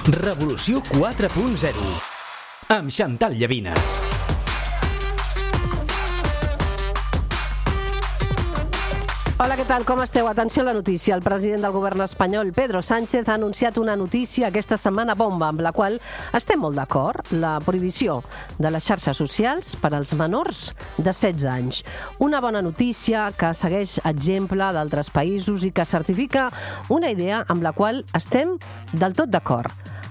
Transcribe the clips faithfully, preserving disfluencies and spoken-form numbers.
Revolució quatre punt zero amb Chantal Llavina. Hola, què tal? Com esteu? Atenció a la notícia. El president del govern espanyol, Pedro Sánchez, ha anunciat una notícia aquesta setmana bomba, amb la qual estem molt d'acord: la prohibició de les xarxes socials per als menors de setze anys. Una bona notícia que segueix exemple d'altres països i que certifica una idea amb la qual estem del tot d'acord.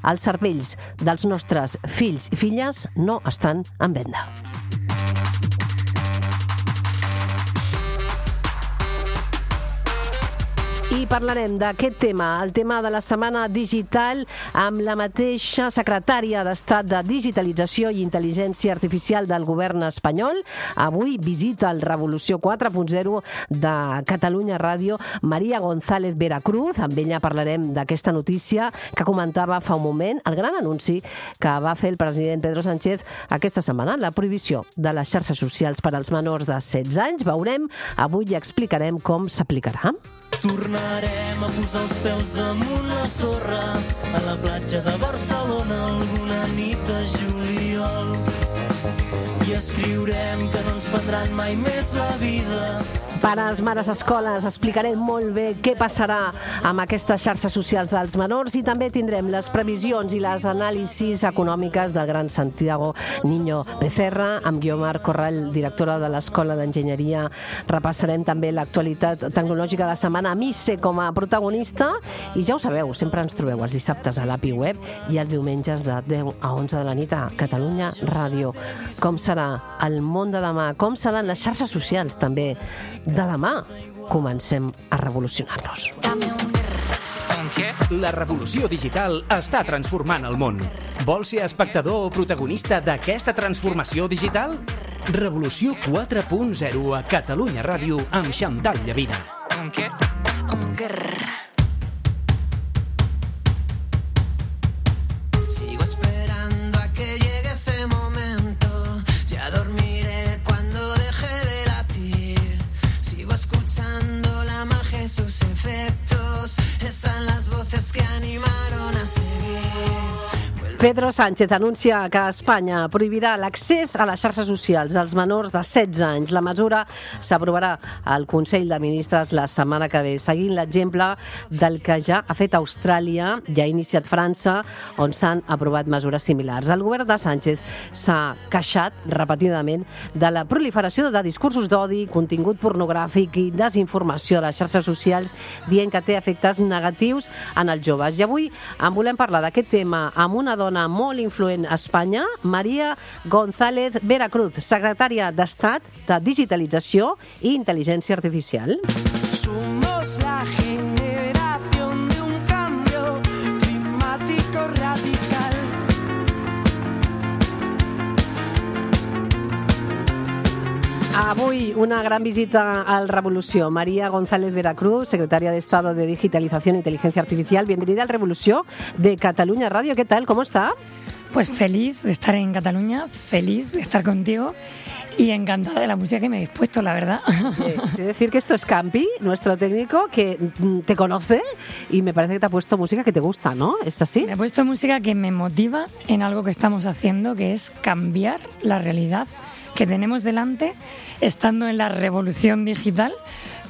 Els cervells dels nostres fills i filles no estan en venda. I parlarem d'aquest tema, el tema de la setmana digital, amb la mateixa secretària d'Estat de Digitalització i Intel·ligència Artificial del govern espanyol. Avui visita el Revolució quatre punt zero de Catalunya Ràdio, Maria González Veracruz. Amb ella parlarem d'aquesta notícia que comentava fa un moment, el gran anunci que va fer el president Pedro Sánchez aquesta setmana, la prohibició de les xarxes socials per als menors de setze anys. Veurem, avui ja explicarem com s'aplicarà. Tornarem a posar els peus damunt la sorra a la platja de Barcelona alguna nit de juliol i escriurem que no ens prendran mai més la vida. Pares, mares, escoles, explicarem molt bé què passarà amb aquestes xarxes socials dels menors i també tindrem les previsions i les anàlisis econòmiques del gran Santiago Niño Becerra, amb Guiomar Corral, directora de l'Escola d'Enginyeria. Repassarem també l'actualitat tecnològica de la setmana amb I C E com a protagonista i ja ho sabeu, sempre ens trobeu els dissabtes a l'A P I Web i els diumenges de deu a onze de la nit a Catalunya Ràdio. Com serà el món de demà? Com seran les xarxes socials també de demà? Comencem a revolucionar-nos. La revolució digital està transformant el món. Vols ser espectador o protagonista d'aquesta transformació digital? Revolució quatre punt zero a Catalunya Ràdio amb Chantal Llavina. Sigo esperando a que llegue ese momento. Ya dormiré cuando deje de latir. Sigo escuchando la magia y sus efectos. Están las voces que animaron a seguir. Pedro Sánchez anuncia que Espanya prohibirà l'accés a les xarxes socials als menors de setze anys. La mesura s'aprovarà al Consell de Ministres la setmana que ve, seguint l'exemple del que ja ha fet Austràlia, ja ha iniciat França, on s'han aprovat mesures similars. El govern de Sánchez s'ha queixat repetidament de la proliferació de discursos d'odi, contingut pornogràfic i desinformació de les xarxes socials, dient que té efectes negatius en els joves. I avui en volem parlar d'aquest tema amb una dona molt influent a Espanya, Maria González Veracruz, secretària d'Estat de Digitalització i Intel·ligència Artificial. Somos la generación de un cambio climático radical. Avui una gran visita al Revolució. María González Veracruz, secretaria de Estado de Digitalización e Inteligencia Artificial. Bienvenida al Revolució de Cataluña Radio. ¿Qué tal? ¿Cómo está? Pues feliz de estar en Cataluña, feliz de estar contigo y encantada de la música que me habéis puesto, la verdad. Eh, quiero decir que esto es Campi, nuestro técnico, que te conoce y me parece que te ha puesto música que te gusta, ¿no? ¿Es así? Me ha puesto música que me motiva en algo que estamos haciendo, que es cambiar la realidad que tenemos delante, estando en la revolución digital,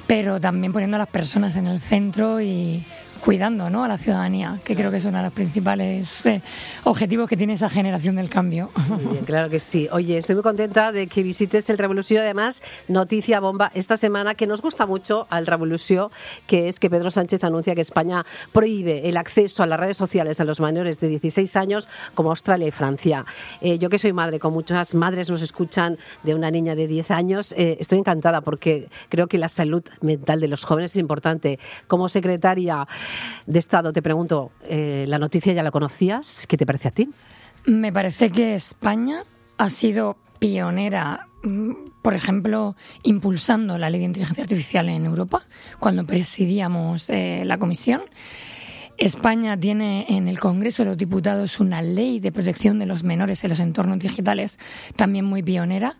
pero también poniendo a las personas en el centro y cuidando, ¿no?, a la ciudadanía, que creo que es uno de los principales eh, objetivos que tiene esa generación del cambio. Muy bien, claro que sí. Oye, estoy muy contenta de que visites el Revolució. Además, noticia bomba esta semana que nos gusta mucho al Revolució, que es que Pedro Sánchez anuncia que España prohíbe el acceso a las redes sociales a los menores de dieciséis años, como Australia y Francia. Eh, yo que soy madre, con muchas madres nos escuchan, de una niña de diez años, eh, estoy encantada porque creo que la salud mental de los jóvenes es importante. Como secretaria de Estado, te pregunto, eh, ¿la noticia ya la conocías? ¿Qué te parece a ti? Me parece que España ha sido pionera, por ejemplo, impulsando la ley de inteligencia artificial en Europa, cuando presidíamos eh, la comisión. España tiene en el Congreso de los Diputados una ley de protección de los menores en los entornos digitales, también muy pionera,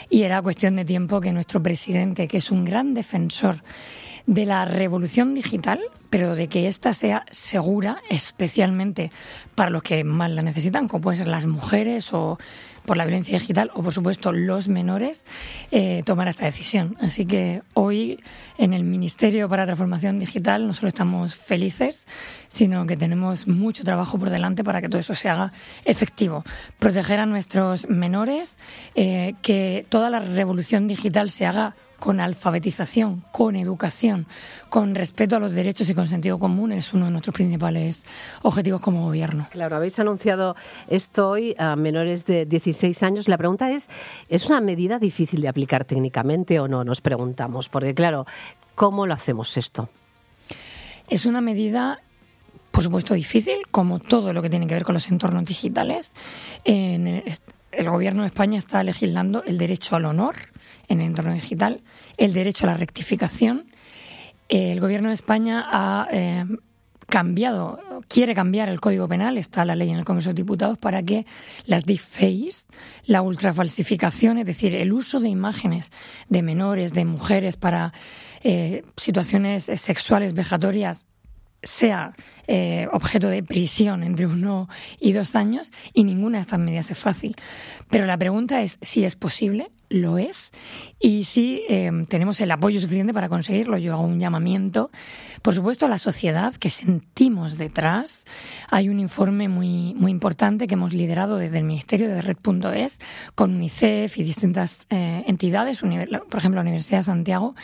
y era cuestión de tiempo que nuestro presidente, que es un gran defensor de la revolución digital, pero de que ésta sea segura, especialmente para los que más la necesitan, como pueden ser las mujeres o por la violencia digital o, por supuesto, los menores, eh, tomar esta decisión. Así que hoy, en el Ministerio para la Transformación Digital, no solo estamos felices, sino que tenemos mucho trabajo por delante para que todo eso se haga efectivo. Proteger a nuestros menores, eh, que toda la revolución digital se haga con alfabetización, con educación, con respeto a los derechos y con sentido común, es uno de nuestros principales objetivos como gobierno. Claro, habéis anunciado esto hoy a menores de dieciséis años. La pregunta es, ¿es una medida difícil de aplicar técnicamente o no? Nos preguntamos, porque claro, ¿cómo lo hacemos esto? Es una medida, por supuesto, difícil, como todo lo que tiene que ver con los entornos digitales. En el, el Gobierno de España está legislando el derecho al honor en el entorno digital, el derecho a la rectificación. El Gobierno de España ha eh, cambiado, quiere cambiar el Código Penal, está la ley en el Congreso de Diputados, para que las deepfakes, la ultrafalsificación, es decir, el uso de imágenes de menores, de mujeres para eh, situaciones sexuales vejatorias, sea eh, objeto de prisión entre uno y dos años, y ninguna de estas medidas es fácil. Pero la pregunta es si es posible, lo es, y si eh, tenemos el apoyo suficiente para conseguirlo. Yo hago un llamamiento, por supuesto, a la sociedad que sentimos detrás. Hay un informe muy, muy importante que hemos liderado desde el Ministerio de Red punto es con UNICEF y distintas eh, entidades, por ejemplo, la Universidad de Santiago,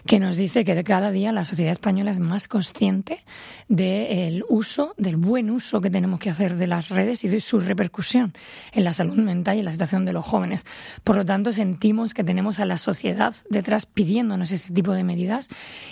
que nos dice que de cada día la sociedad española es más consciente del uso, del buen uso que tenemos que hacer de las redes y de su repercusión en la salud mental y en la situación de los jóvenes. Por lo tanto, sentimos que tenemos a la sociedad detrás pidiéndonos ese tipo de medidas,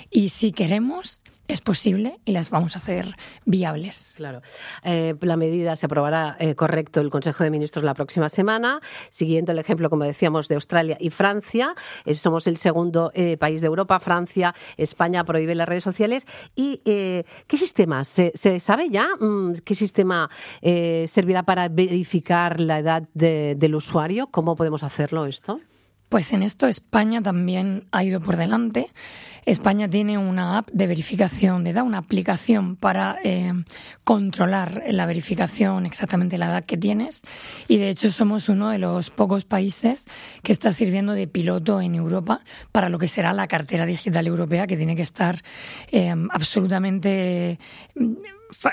y si queremos, es posible y las vamos a hacer viables. Claro. Eh, la medida se aprobará, eh, correcto, el Consejo de Ministros la próxima semana, siguiendo el ejemplo, como decíamos, de Australia y Francia. Eh, somos el segundo eh, país de Europa. Francia, España prohíbe las redes sociales. ¿Y eh, qué sistema? ¿Se, se sabe ya mm, qué sistema eh, servirá para verificar la edad de, del usuario? ¿Cómo podemos hacerlo esto? Pues en esto España también ha ido por delante. España tiene una app de verificación de edad, una aplicación para eh, controlar la verificación, exactamente la edad que tienes, y de hecho somos uno de los pocos países que está sirviendo de piloto en Europa para lo que será la cartera digital europea, que tiene que estar eh, absolutamente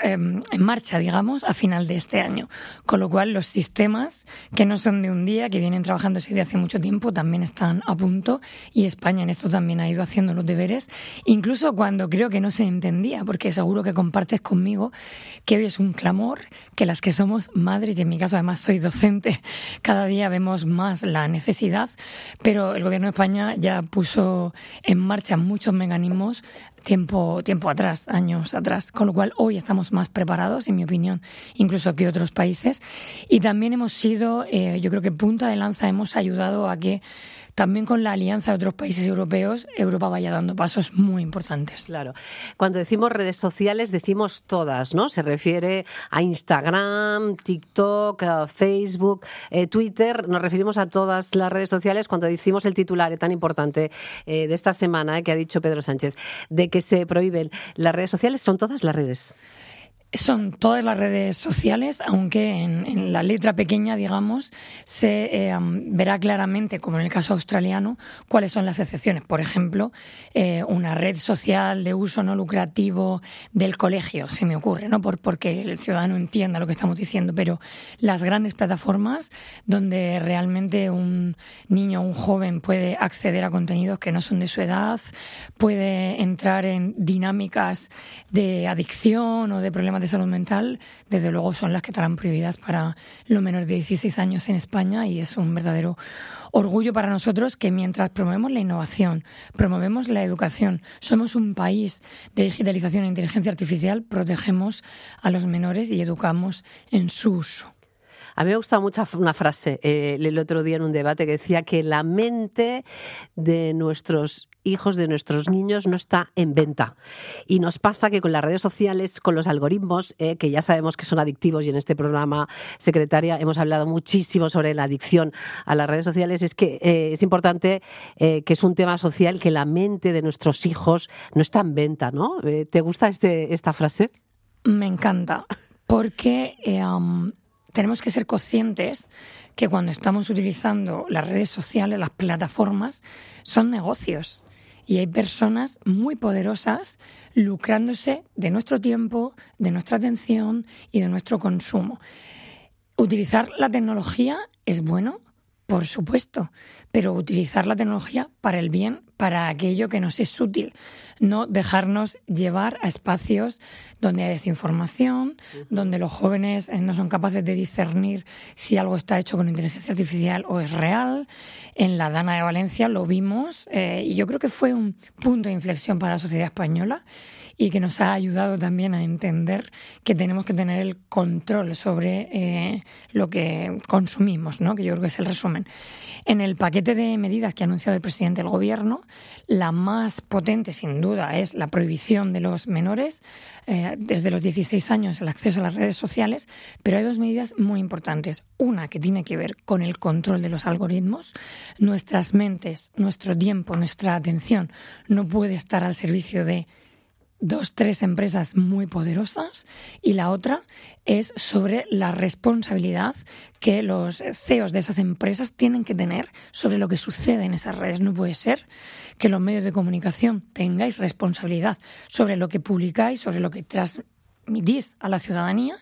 en marcha, digamos, a final de este año. Con lo cual, los sistemas, que no son de un día, que vienen trabajando desde hace mucho tiempo, también están a punto, y España en esto también ha ido haciendo los deberes, incluso cuando creo que no se entendía, porque seguro que compartes conmigo que hoy es un clamor, que las que somos madres, y en mi caso además soy docente, cada día vemos más la necesidad, pero el Gobierno de España ya puso en marcha muchos mecanismos tiempo, tiempo atrás, años atrás, con lo cual hoy estamos más preparados, en mi opinión, incluso que otros países, y también hemos sido, eh, yo creo que punta de lanza, hemos ayudado a que también con la alianza de otros países europeos, Europa vaya dando pasos muy importantes. Claro. Cuando decimos redes sociales, decimos todas, ¿no? Se refiere a Instagram, TikTok, a Facebook, eh, Twitter. Nos referimos a todas las redes sociales cuando decimos el titular eh, tan importante eh, de esta semana eh, que ha dicho Pedro Sánchez, de que se prohíben las redes sociales. ¿Son todas las redes? Son todas las redes sociales, aunque en, en la letra pequeña, digamos, se eh, verá claramente, como en el caso australiano, cuáles son las excepciones. Por ejemplo, eh, una red social de uso no lucrativo del colegio, se me ocurre, ¿no? Por, porque el ciudadano entienda lo que estamos diciendo, pero las grandes plataformas donde realmente un niño o un joven puede acceder a contenidos que no son de su edad, puede entrar en dinámicas de adicción o de problemas de salud mental, desde luego son las que estarán prohibidas para los menores de dieciséis años en España, y es un verdadero orgullo para nosotros que mientras promovemos la innovación, promovemos la educación, somos un país de digitalización e inteligencia artificial, protegemos a los menores y educamos en su uso. A mí me gusta mucho una frase, eh, el otro día en un debate, que decía que la mente de nuestros hijos de nuestros niños no está en venta. Y nos pasa que con las redes sociales, con los algoritmos, eh, que ya sabemos que son adictivos, y en este programa, secretaria, hemos hablado muchísimo sobre la adicción a las redes sociales, es que eh, es importante eh, que es un tema social, que la mente de nuestros hijos no está en venta, ¿no? Eh, ¿Te gusta este, esta frase? Me encanta, porque eh, um, tenemos que ser conscientes que cuando estamos utilizando las redes sociales, las plataformas, son negocios. Y hay personas muy poderosas lucrándose de nuestro tiempo, de nuestra atención y de nuestro consumo. Utilizar la tecnología es bueno, por supuesto, pero utilizar la tecnología para el bien, para aquello que nos es útil. No dejarnos llevar a espacios donde hay desinformación, uh-huh. donde los jóvenes no son capaces de discernir si algo está hecho con inteligencia artificial o es real. En la Dana de Valencia lo vimos eh, y yo creo que fue un punto de inflexión para la sociedad española y que nos ha ayudado también a entender que tenemos que tener el control sobre eh, lo que consumimos, ¿no? Que yo creo que es el resumen. En el paquete de medidas que ha anunciado el presidente del Gobierno, la más potente, sin duda, es la prohibición de los menores eh, desde los dieciséis años el acceso a las redes sociales, pero hay dos medidas muy importantes. Una que tiene que ver con el control de los algoritmos. Nuestras mentes, nuestro tiempo, nuestra atención no puede estar al servicio de dos, tres empresas muy poderosas, y la otra es sobre la responsabilidad que los C E Os de esas empresas tienen que tener sobre lo que sucede en esas redes. No puede ser que los medios de comunicación tengáis responsabilidad sobre lo que publicáis, sobre lo que transmitís a la ciudadanía,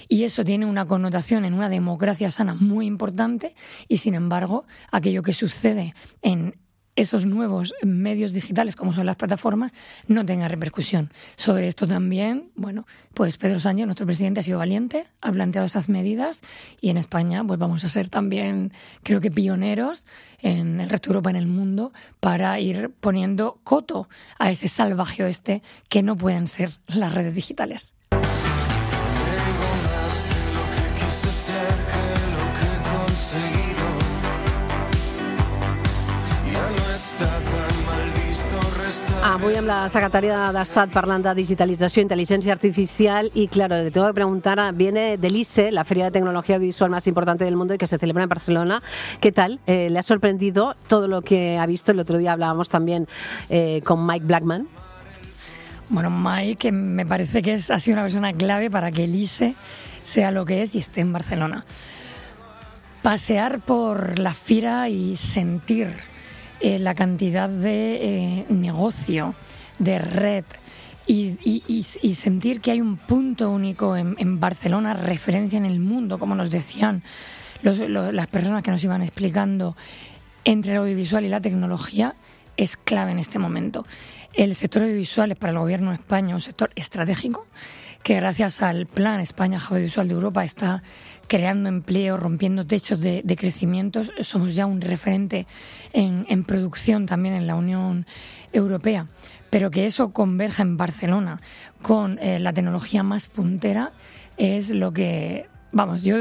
y eso tiene una connotación en una democracia sana muy importante, y sin embargo, aquello que sucede en esos nuevos medios digitales, como son las plataformas, no tenga repercusión. Sobre esto también, bueno, pues Pedro Sánchez, nuestro presidente, ha sido valiente, ha planteado esas medidas, y en España pues vamos a ser también, creo que pioneros en el resto de Europa, en el mundo, para ir poniendo coto a ese salvaje oeste que no pueden ser las redes digitales. Tengo más de lo que quise ser que lo que he conseguido. Avui amb la secretària d'Estat parlant de digitalització, intel·ligència artificial y claro, le tengo que preguntar, viene del I C E, la feria de tecnología audiovisual más importante del mundo y que se celebra en Barcelona. ¿Qué tal? Eh, ¿Le ha sorprendido todo lo que ha visto? El otro día hablábamos también eh, con Mike Blackman. Bueno, Mike, que me parece que es, ha sido una persona clave para que el I C E sea lo que es y esté en Barcelona. Pasear por la fira y sentir Eh, la cantidad de eh, negocio, de red y, y, y, y sentir que hay un punto único en, en Barcelona, referencia en el mundo, como nos decían los, los, las personas que nos iban explicando, entre el audiovisual y la tecnología, es clave en este momento. El sector audiovisual es para el Gobierno de España un sector estratégico que gracias al Plan España Audiovisual de Europa está creando empleo, rompiendo techos de, de crecimiento. Somos ya un referente en, en producción también en la Unión Europea. Pero que eso converja en Barcelona con eh, la tecnología más puntera es lo que, vamos, yo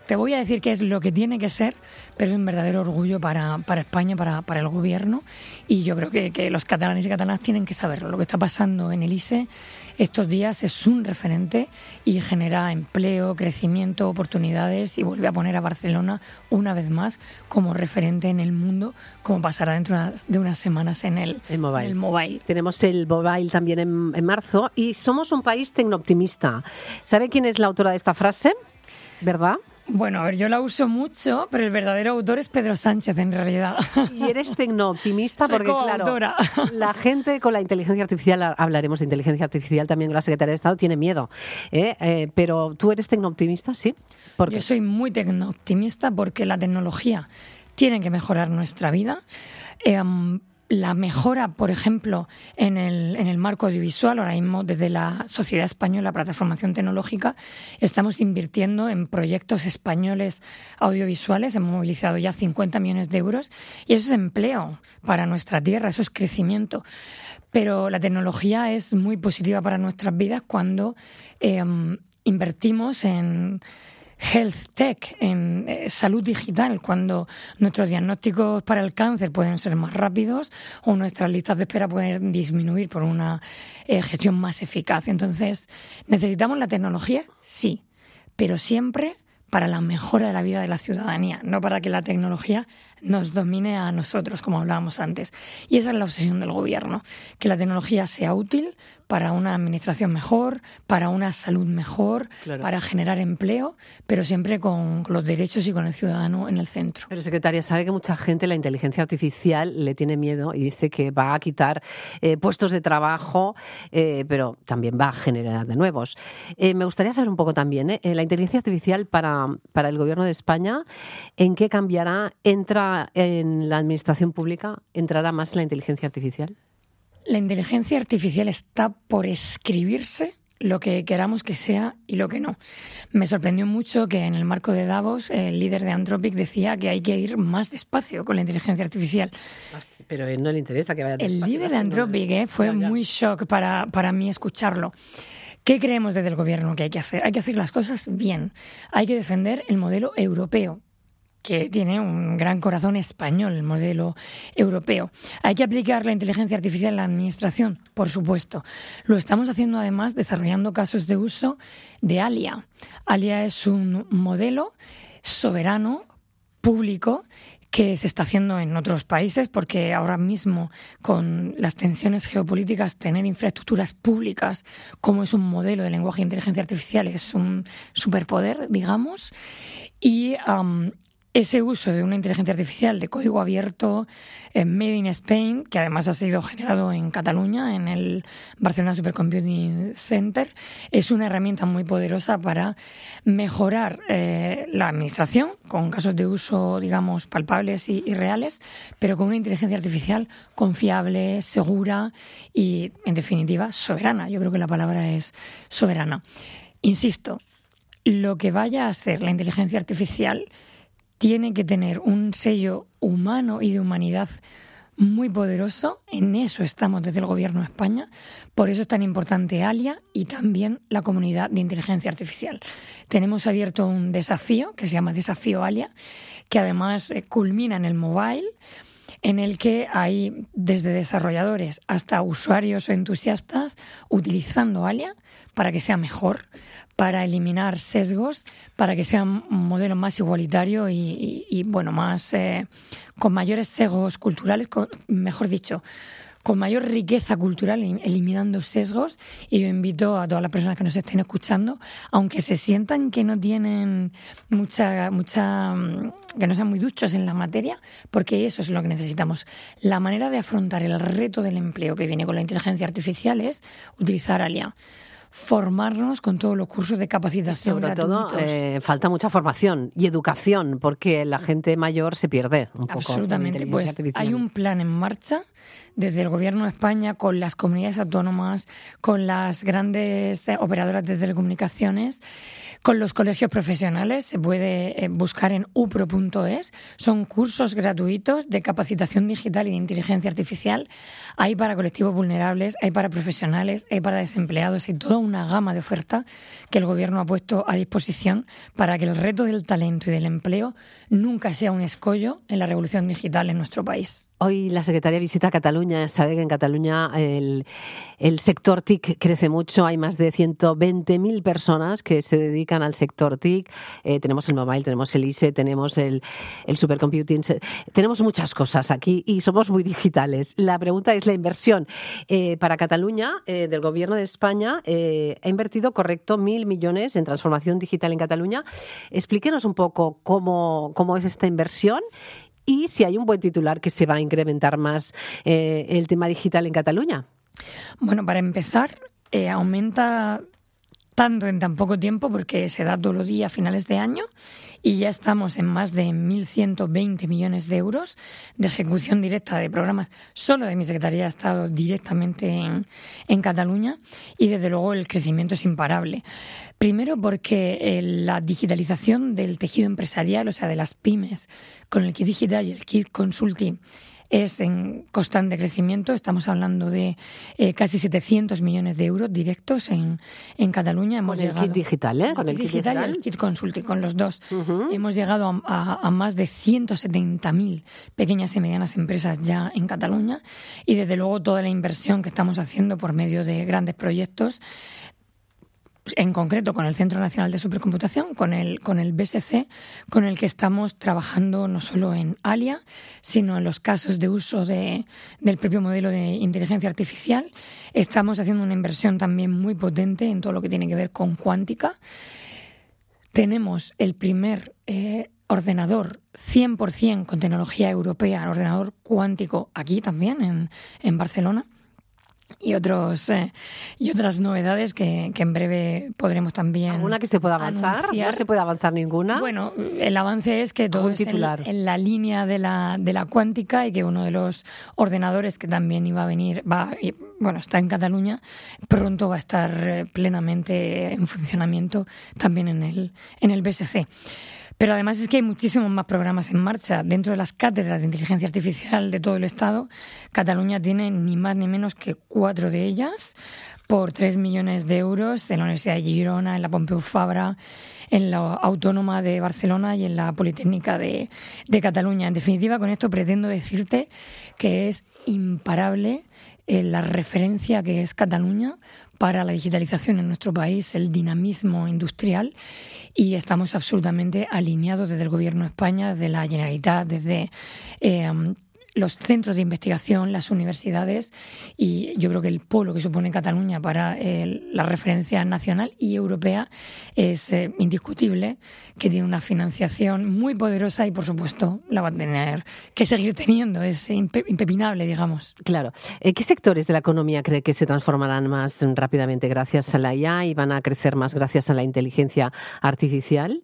te voy a decir que es lo que tiene que ser, pero es un verdadero orgullo para, para España, para, para el Gobierno, y yo creo que, que los catalanes y catalanas tienen que saberlo. Lo que está pasando en el I C E estos días es un referente y genera empleo, crecimiento, oportunidades, y vuelve a poner a Barcelona una vez más como referente en el mundo, como pasará dentro de unas semanas en el, el, mobile. En el mobile. Tenemos el mobile también en, en marzo, y somos un país tecnooptimista. ¿Sabe quién es la autora de esta frase? ¿Verdad? Bueno, a ver, yo la uso mucho, pero el verdadero autor es Pedro Sánchez, en realidad. Y eres tecnooptimista porque, coautora. Claro, la gente con la inteligencia artificial, hablaremos de inteligencia artificial también con la Secretaría de Estado, tiene miedo. ¿eh? Eh, pero ¿tú eres tecnooptimista? Sí. ¿Por qué? Yo soy muy tecnooptimista porque la tecnología tiene que mejorar nuestra vida. Eh, La mejora, por ejemplo, en el, en el marco audiovisual, ahora mismo desde la Sociedad Española para la Transformación Tecnológica estamos invirtiendo en proyectos españoles audiovisuales, hemos movilizado ya cincuenta millones de euros, y eso es empleo para nuestra tierra, eso es crecimiento. Pero la tecnología es muy positiva para nuestras vidas cuando eh, invertimos en health tech, en eh, salud digital, cuando nuestros diagnósticos para el cáncer pueden ser más rápidos o nuestras listas de espera pueden disminuir por una eh, gestión más eficaz. Entonces, ¿necesitamos la tecnología? Sí, pero siempre para la mejora de la vida de la ciudadanía, no para que la tecnología nos domine a nosotros, como hablábamos antes. Y esa es la obsesión del gobierno, que la tecnología sea útil para una administración mejor, para una salud mejor, claro, para generar empleo, pero siempre con los derechos y con el ciudadano en el centro. Pero, secretaria, sabe que mucha gente la inteligencia artificial le tiene miedo y dice que va a quitar eh, puestos de trabajo, eh, pero también va a generar de nuevos. Eh, me gustaría saber un poco también, ¿eh? la inteligencia artificial para, para el Gobierno de España, ¿en qué cambiará? ¿Entra en la administración pública? ¿Entrará más la inteligencia artificial? La inteligencia artificial está por escribirse lo que queramos que sea y lo que no. Me sorprendió mucho que en el marco de Davos el líder de Anthropic decía que hay que ir más despacio con la inteligencia artificial. Pero a él no le interesa que vaya despacio. El líder de Anthropic eh, fue ya, ya. muy shock para, para mí escucharlo. ¿Qué creemos desde el gobierno que hay que hacer? Hay que hacer las cosas bien. Hay que defender el modelo europeo, que tiene un gran corazón español, el modelo europeo. ¿Hay que aplicar la inteligencia artificial en la administración? Por supuesto. Lo estamos haciendo además desarrollando casos de uso de Alia. Alia es un modelo soberano, público, que se está haciendo en otros países, porque ahora mismo con las tensiones geopolíticas tener infraestructuras públicas como es un modelo de lenguaje e inteligencia artificial es un superpoder, digamos. Y um, ese uso de una inteligencia artificial de código abierto, eh, made in Spain, que además ha sido generado en Cataluña, en el Barcelona Supercomputing Center, es una herramienta muy poderosa para mejorar eh, la administración, con casos de uso, digamos, palpables y, y reales, pero con una inteligencia artificial confiable, segura y, en definitiva, soberana. Yo creo que la palabra es soberana. Insisto, lo que vaya a ser la inteligencia artificial tiene que tener un sello humano y de humanidad muy poderoso. En eso estamos desde el Gobierno de España. Por eso es tan importante Alia y también la comunidad de inteligencia artificial. Tenemos abierto un desafío que se llama Desafío Alia, que además eh, culmina en el mobile, en el que hay desde desarrolladores hasta usuarios o entusiastas utilizando Alia para que sea mejor, para eliminar sesgos, para que sea un modelo más igualitario y, y, y bueno, más eh, con mayores sesgos culturales, con, mejor dicho, con mayor riqueza cultural, eliminando sesgos. Y yo invito a todas las personas que nos estén escuchando, aunque se sientan que no tienen mucha, mucha, que no sean muy duchos en la materia, porque eso es lo que necesitamos. La manera de afrontar el reto del empleo que viene con la inteligencia artificial es utilizar Alia. Formarnos con todos los cursos de capacitación Sobre gratuitos. todo, eh, falta mucha formación y educación, porque la gente mayor se pierde un poco. Absolutamente. Pues hay un plan en marcha desde el Gobierno de España, con las comunidades autónomas, con las grandes operadoras de telecomunicaciones, con los colegios profesionales. Se puede buscar en upro punto es. Son cursos gratuitos de capacitación digital y de inteligencia artificial. Hay para colectivos vulnerables, hay para profesionales, hay para desempleados. Hay toda una gama de oferta que el Gobierno ha puesto a disposición para que el reto del talento y del empleo nunca sea un escollo en la revolución digital en nuestro país. Hoy la secretaria visita Cataluña. Sabe que en Cataluña el, el sector T I C crece mucho. Hay más de ciento veinte mil personas que se dedican al sector T I C. Eh, tenemos el mobile, tenemos el I S E, tenemos el, el supercomputing. Tenemos muchas cosas aquí y somos muy digitales. La pregunta es la inversión. Eh, para Cataluña, eh, del Gobierno de España, eh, ha invertido, correcto, mil millones en transformación digital en Cataluña. Explíquenos un poco cómo, cómo es esta inversión. Y si hay un buen titular que se va a incrementar más eh, el tema digital en Cataluña. Bueno, para empezar, eh, aumenta tanto en tan poco tiempo porque se da todos los días a finales de año y ya estamos en más de mil ciento veinte millones de euros de ejecución directa de programas solo de mi Secretaría de Estado directamente en, en Cataluña, y desde luego el crecimiento es imparable. Primero porque eh, la digitalización del tejido empresarial, o sea, de las pymes, con el kit digital y el kit consulting, es en constante crecimiento. Estamos hablando de eh, casi setecientos millones de euros directos en, en Cataluña. Hemos con el llegado, kit digital, ¿eh? Con el kit digital, digital y el kit consulting, con los dos. Uh-huh. Hemos llegado a, a, a más de ciento setenta mil pequeñas y medianas empresas ya en Cataluña, y desde luego toda la inversión que estamos haciendo por medio de grandes proyectos, en concreto con el Centro Nacional de Supercomputación, con el, con el B S C, con el que estamos trabajando no solo en Alia, sino en los casos de uso de, del propio modelo de inteligencia artificial. Estamos haciendo una inversión también muy potente en todo lo que tiene que ver con cuántica. Tenemos el primer eh, ordenador cien por ciento con tecnología europea, ordenador cuántico, aquí también, en, en Barcelona. Y otros eh, y otras novedades que, que en breve podremos también ¿Alguna que se pueda avanzar? Anunciar. ¿No se puede avanzar ninguna? Bueno, el avance es que todo es en, en la línea de la, de la cuántica, y que uno de los ordenadores que también iba a venir, va y, bueno, está en Cataluña, pronto va a estar plenamente en funcionamiento también en el, en el B S C. Pero además es que hay muchísimos más programas en marcha. Dentro de las cátedras de inteligencia artificial de todo el Estado, Cataluña tiene ni más ni menos que cuatro de ellas por tres millones de euros en la Universidad de Girona, en la Pompeu Fabra, en la Autónoma de Barcelona y en la Politécnica de, de Cataluña. En definitiva, con esto pretendo decirte que es imparable eh, la referencia que es Cataluña para la digitalización en nuestro país, el dinamismo industrial, y estamos absolutamente alineados desde el Gobierno de España, desde la Generalitat, desde eh, los centros de investigación, las universidades, y yo creo que el polo que supone Cataluña para eh, la referencia nacional y europea es eh, indiscutible, que tiene una financiación muy poderosa y, por supuesto, la va a tener que seguir teniendo, es impe- impepinable, digamos. Claro. ¿Qué sectores de la economía cree que se transformarán más rápidamente gracias a la I A y van a crecer más gracias a la inteligencia artificial?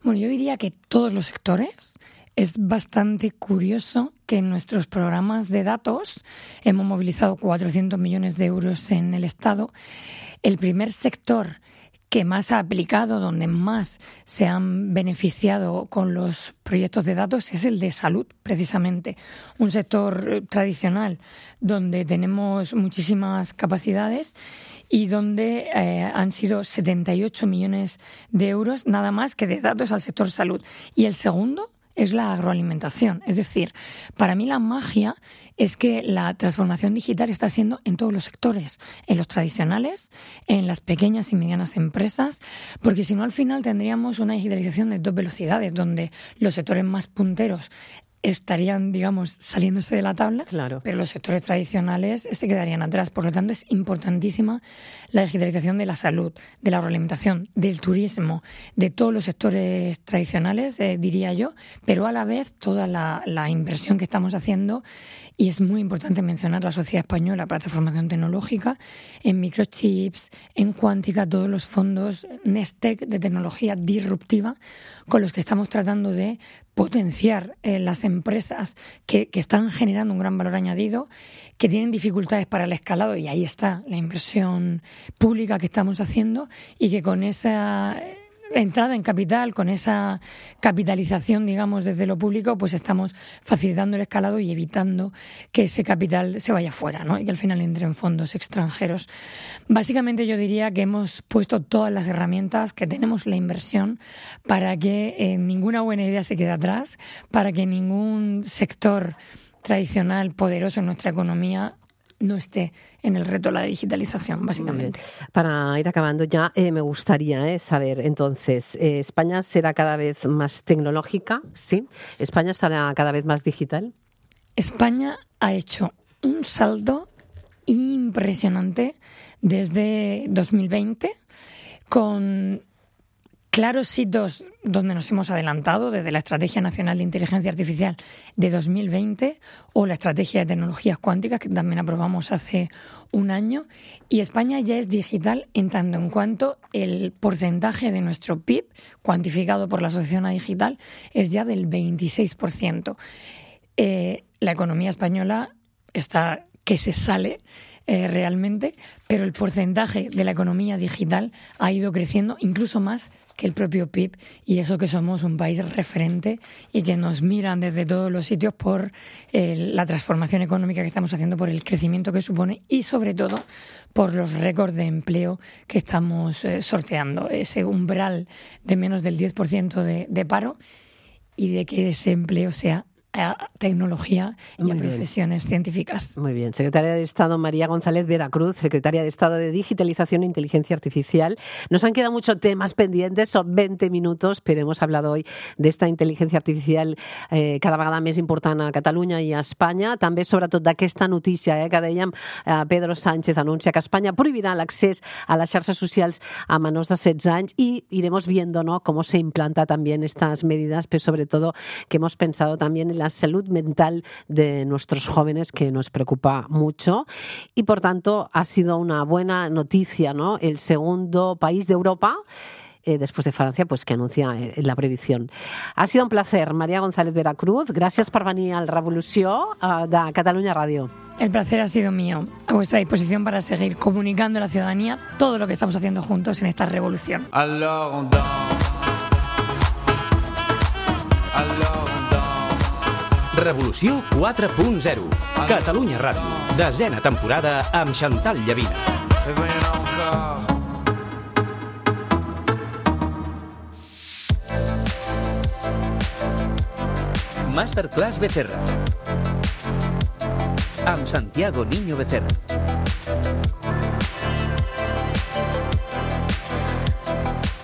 Bueno, yo diría que todos los sectores. Es bastante curioso que en nuestros programas de datos hemos movilizado cuatrocientos millones de euros en el Estado. El primer sector que más ha aplicado, donde más se han beneficiado con los proyectos de datos, es el de salud, precisamente. Un sector tradicional donde tenemos muchísimas capacidades y donde eh, han sido setenta y ocho millones de euros nada más que de datos al sector salud. Y el segundo es la agroalimentación. Es decir, para mí la magia es que la transformación digital está siendo en todos los sectores, en los tradicionales, en las pequeñas y medianas empresas, porque si no al final tendríamos una digitalización de dos velocidades, donde los sectores más punteros estarían, digamos, saliéndose de la tabla, claro, pero los sectores tradicionales se quedarían atrás. Por lo tanto, es importantísima la digitalización de la salud, de la agroalimentación, del turismo, de todos los sectores tradicionales, eh, diría yo, pero a la vez toda la, la inversión que estamos haciendo, y es muy importante mencionar la Sociedad Española para la Transformación Tecnológica, en microchips, en cuántica, todos los fondos Nestec de tecnología disruptiva con los que estamos tratando de potenciar eh, las empresas que, que están generando un gran valor añadido, que tienen dificultades para el escalado, y ahí está la inversión pública que estamos haciendo, y que con esa entrada en capital, con esa capitalización, digamos, desde lo público, pues estamos facilitando el escalado y evitando que ese capital se vaya fuera, ¿no? Y que al final entre en fondos extranjeros. Básicamente yo diría que hemos puesto todas las herramientas, que tenemos la inversión para que eh, ninguna buena idea se quede atrás, para que ningún sector tradicional poderoso en nuestra economía no esté en el reto de la digitalización, básicamente. Para ir acabando ya, eh, me gustaría eh, saber, entonces, eh, ¿España será cada vez más tecnológica? ¿Sí? ¿España será cada vez más digital? España ha hecho un salto impresionante desde dos mil veinte, con claros hitos donde nos hemos adelantado, desde la Estrategia Nacional de Inteligencia Artificial de dos mil veinte o la Estrategia de Tecnologías Cuánticas, que también aprobamos hace un año. Y España ya es digital en tanto en cuanto el porcentaje de nuestro P I B, cuantificado por la Asociación A Digital, es ya del veintiséis por ciento. Eh, la economía española está que se sale eh, realmente, pero el porcentaje de la economía digital ha ido creciendo incluso más que el propio P I B, y eso que somos un país referente y que nos miran desde todos los sitios por eh, la transformación económica que estamos haciendo, por el crecimiento que supone y sobre todo por los récords de empleo que estamos eh, sorteando. Ese umbral de menos del diez por ciento de, de paro y de que ese empleo sea a tecnología y Muy a bien. profesiones científicas. Muy bien. Secretaria de Estado María González Veracruz, Secretaria de Estado de Digitalización e Inteligencia Artificial. Nos han quedado muchos temas pendientes, son veinte minutos, pero hemos hablado hoy d'esta intel·ligència artificial eh, cada vegada més important a Catalunya i a Espanya. També, sobretot, d'aquesta notícia eh, que dèiem, eh, Pedro Sánchez anuncia que Espanya prohibirà l'accés a les xarxes socials a menors de setze anys y iremos viendo, ¿no?, cómo se implanta también estas medidas, pero sobre todo que hemos pensado también en la salud mental de nuestros jóvenes, que nos preocupa mucho, y por tanto ha sido una buena noticia, ¿no? El segundo país de Europa, eh, después de Francia, pues que anuncia eh, la prohibición. Ha sido un placer, María González Veracruz. Gràcies per venir al Revolució eh, de Catalunya Ràdio. El placer ha sido mío, a vuestra disposición para seguir comunicando a la ciudadanía todo lo que estamos haciendo juntos en esta revolución. Alors on danse. Alors Revolució quatre punt zero. Catalunya Ràdio. Desena temporada amb Chantal Llavina. Masterclass Becerra. Amb Santiago Niño Becerra.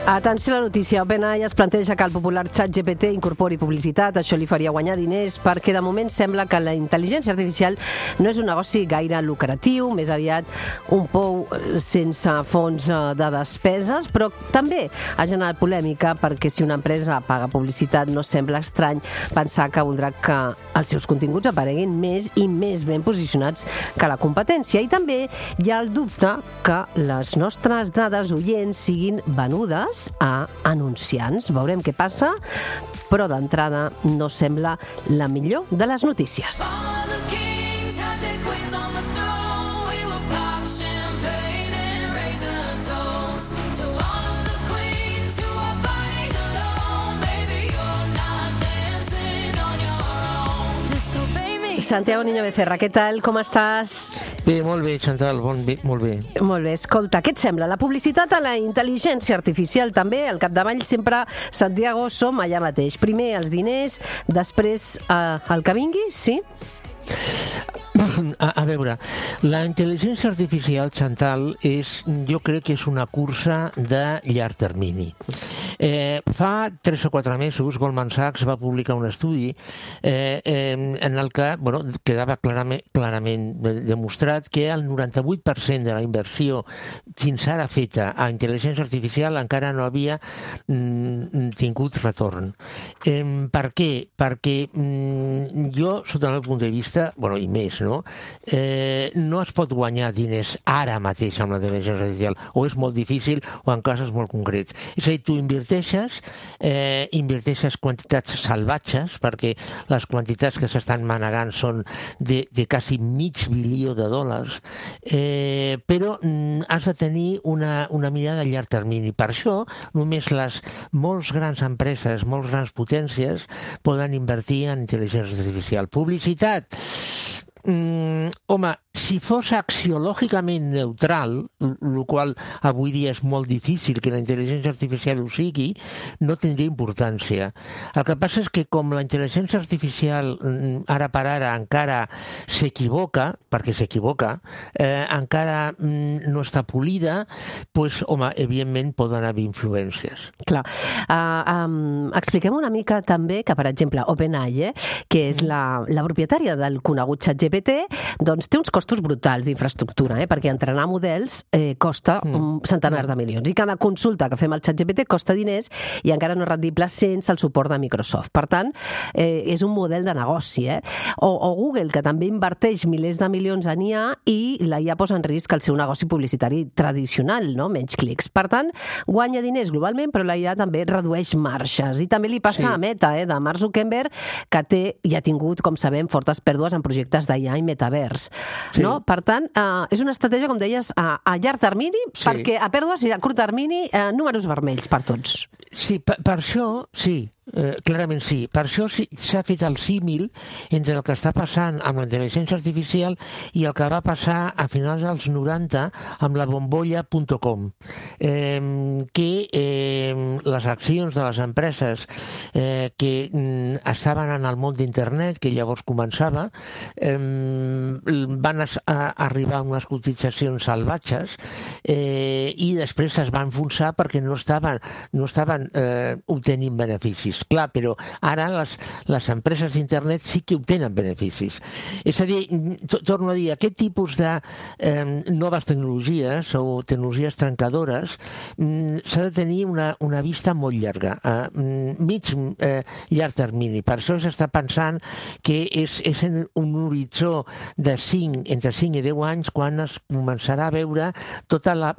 Atenció a la notícia. OpenAI es planteja que el popular ChatGPT incorpori publicitat. Això li faria guanyar diners perquè de moment sembla que la intel·ligència artificial no és un negoci gaire lucratiu, més aviat un pou sense fons de despeses, però també ha generat polèmica perquè si una empresa paga publicitat no sembla estrany pensar que voldrà que els seus continguts apareguin més i més ben posicionats que la competència. I també hi ha el dubte que les nostres dades oients siguin venudes a anunciants. Veurem què passa, però d'entrada no sembla la millor de les notícies. Santiago Niño Becerra, què tal? Com estàs? Bé, molt bé, Chantal, bon, bé, molt bé. Molt bé, escolta, què et sembla? La publicitat a la intel·ligència artificial també, al capdavall sempre, Santiago, som allà mateix. Primer els diners, després eh, el que vingui, sí? A, a veure, la intel·ligència artificial, Chantal, és, jo crec que és una cursa de llarg termini. Eh, fa tres o quatre mesos Goldman Sachs va publicar un estudi eh, eh, en el que bueno, quedava clarament, clarament demostrat que el noranta-vuit per cent de la inversió fins ara feta a intel·ligència artificial encara no havia mm, tingut retorn. Eh, per què? Perquè mm, jo, sota el meu punt de vista, bueno, i més, no? Eh, no es pot guanyar diners ara mateix amb la intel·ligència artificial, o és molt difícil o en casos molt concrets. És a dir, tu inverteixes, eh, inverteixes quantitats salvatges, perquè les quantitats que s'estan manegant són de, de quasi mig bilió de dòlars, eh, però mm, has de tenir una, una mirada a llarg termini. Per això, només les molts grans empreses, molts grans potències, poden invertir en intel·ligència artificial. Publicitat. Mm, home, si fos axiològicament neutral, el qual avui dia és molt difícil que la intel·ligència artificial ho sigui, no tindria importància. El que passa és que com la intel·ligència artificial ara per ara encara s'equivoca, perquè s'equivoca, eh, encara mm, no està polida, doncs, home, evidentment poden haver influències. Clar. Uh, um, expliquem una mica també que, per exemple, OpenAI, eh, que és la, la propietària del conegut ChatGPT, doncs té uns costos brutals d'infraestructura, eh? Perquè entrenar models eh, costa mm. centenars de milions. I cada consulta que fem al ChatGPT costa diners i encara no és rendible sense el suport de Microsoft. Per tant, eh, és un model de negoci. Eh? O, o Google, que també inverteix milers de milions en I A i la I A posa en risc el seu negoci publicitari tradicional, no? Menys clics. Per tant, guanya diners globalment, però la I A també redueix marges. I també li passa sí. a Meta, eh? de Mark Zuckerberg, que té i ha tingut, com sabem, fortes pèrdues en projectes d'I I A i metavers. Sí. No? Per tant, eh, és una estratègia, com deies, a, a llarg termini, Sí. perquè a pèrdues i a curt termini, eh, números vermells per tots. Sí, per, per això, sí, eh, clarament sí. Per això sí, s'ha fet el símil entre el que està passant amb la intel·ligència artificial i el que va passar a finals dels noranta amb la bombolla punt com, eh, que eh, les accions de les empreses eh, que mm, estaven en el món d'internet, que llavors començava, eh, van a, a arribar a unes cotitzacions salvatges eh, i després es van enfonsar perquè no estaven, no estaven eh, obtenint beneficis. Clar, però ara les, les empreses d'internet sí que obtenen beneficis. És a dir, to, torno a dir, aquest tipus de eh, noves tecnologies o tecnologies trencadores mm, s'ha de tenir una, una vista molt llarga, a mm, mig eh, llarg termini. Per això s'està pensant que és, és en un horitzó de cinc, entre cinc i deu anys quan es començarà a veure tota la